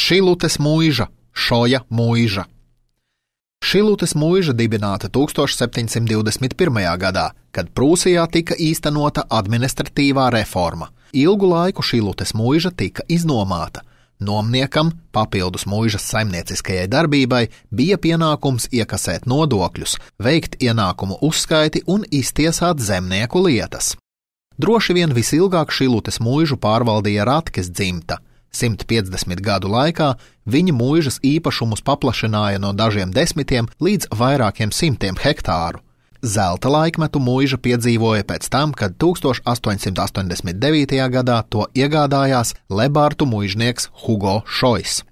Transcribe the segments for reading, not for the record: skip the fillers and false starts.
Šilutes muiža, Šoja muiža. Šilutes muiža dibināta 1721. gadā, kad Prūsijā tika īstenota administratīvā reforma. Ilgu laiku Šilutes muiža tika iznomāta. Nomniekam, papildus muižas saimnieciskajai darbībai, bija pienākums iekasēt nodokļus, veikt ienākumu uzskaiti un iztiesāt zemnieku lietas. Droši vien visilgāk Šilutes muižu pārvaldīja Ratkes dzimta. 150 gadu laikā viņa muižas īpašumus paplašināja no dažiem desmitiem līdz vairākiem simtiem hektāru. Zelta laikmetu muiža piedzīvoja pēc tam, kad 1889. gadā to iegādājās Lebārtu muižnieks Hugo Šojs.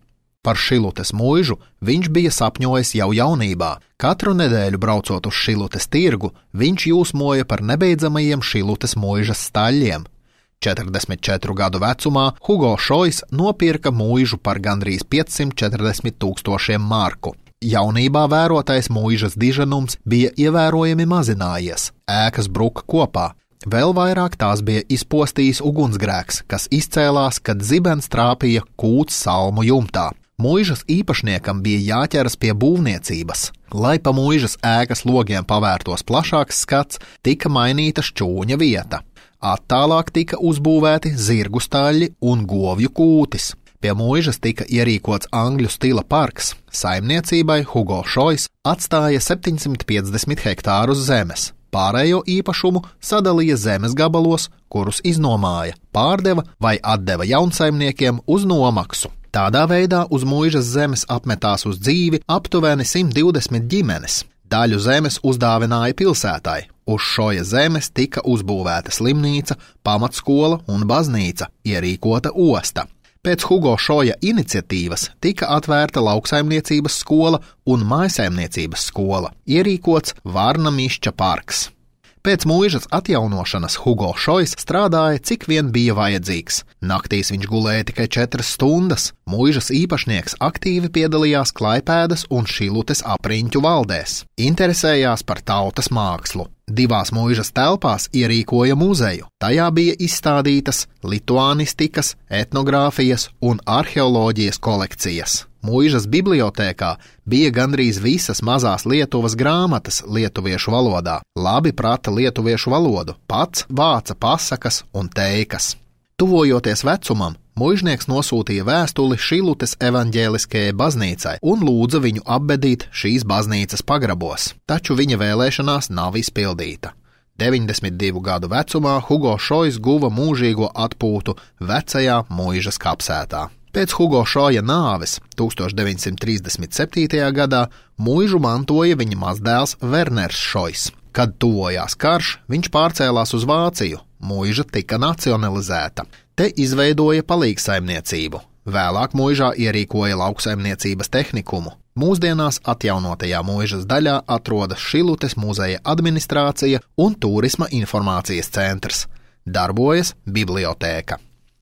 Par Šilutes muižu viņš bija sapņojis jau jaunībā. Katru nedēļu braucot uz Šilutes tirgu, viņš jūsmoja par nebeidzamajiem Šilutes muižas staļļiem. 44 gadu vecumā Hugo Šojs nopirka muižu par gandrīz 540 000 marku. Jaunībā vērotais muižas diženums bija ievērojami mazinājies, ēkas bruka kopā. Vēl vairāk tās bija izpostījis ugunsgrēks, kas izcēlās, kad zibens trāpīja kūts salmu jumtā. Muižas īpašniekam bija jāķeras pie būvniecības. Lai pa muižas ēkas logiem pavērtos plašāks skats, tika mainīta šķūņa vieta. Attālāk tika uzbūvēti zirgu staļļi un govju kūtis. Pie muižas tika ierīkots angļu stila parks. Saimniecībai Hugo Šojs atstāja 750 hektārus zemes. Pārējo īpašumu sadalīja zemes gabalos, kurus iznomāja, pārdeva vai atdeva jaunsaimniekiem uz nomaksu. Tādā veidā uz muižas zemes apmetās uz dzīvi aptuveni 120 ģimenes. Daļu zemes uzdāvināja pilsētai. Uz Šoja zemes tika uzbūvēta slimnīca, pamatskola un baznīca, ierīkota osta. Pēc Hugo Šoja iniciatīvas tika atvērta lauksaimniecības skola un mājsaimniecības skola, ierīkots Varna Mišķa parks. Pēc muižas atjaunošanas Hugo Šojs strādāja, cik vien bija vajadzīgs. Naktīs viņš gulēja tikai 4 stundas. Muižas īpašnieks aktīvi piedalījās Klaipēdas un Šilutes apriņķu valdēs. Interesējās par tautas mākslu. 2 muižas telpās ierīkoja muzeju. Tajā bija izstādītas lituānistikas, etnogrāfijas un arheoloģijas kolekcijas. Muižas bibliotēkā bija gandrīz visas mazās Lietuvas grāmatas lietuviešu valodā. Labi prata lietuviešu valodu, pats vāca pasakas un teikas. Tuvojoties vecumam, muižnieks nosūtīja vēstuli Šilutes evaņģēliskajai baznīcai un lūdza viņu apbedīt šīs baznīcas pagrabos, taču viņa vēlēšanās nav izpildīta. 92 gadu vecumā Hugo Šojs guva mūžīgo atpūtu vecajā muižas kapsētā. Pēc Hugo Šoja nāves 1937. gadā muižu mantoja viņa mazdēls Werners Šojs. Kad tuvojās karš, viņš pārcēlās uz Vāciju. Muiža tika nacionalizēta. Te izveidoja palīgsaimniecību. Vēlāk muižā ierīkoja lauksaimniecības tehnikumu. Mūsdienās atjaunotajā muižas daļā atrodas Šilutes muzeja administrācija un turisma informācijas centrs. Darbojas bibliotēka.